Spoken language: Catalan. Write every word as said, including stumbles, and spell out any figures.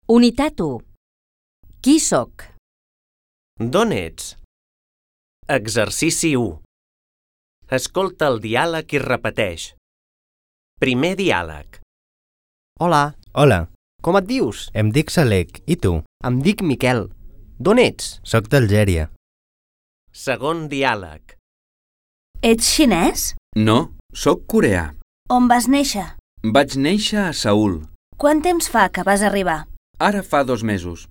Unitat u. Qui sóc? D'on ets? Exercici u. Escolta el diàleg i repeteix. Primer diàleg. Hola, Hola, com et dius? em dic Salek, i tu? Em dic Miquel. D'on ets? Soc d'Algèria. Segon diàleg. Ets xinès? No, sóc coreà. On vas néixer? Vaig néixer a Seül. Quant temps fa que vas arribar? Ara fa dos mesos.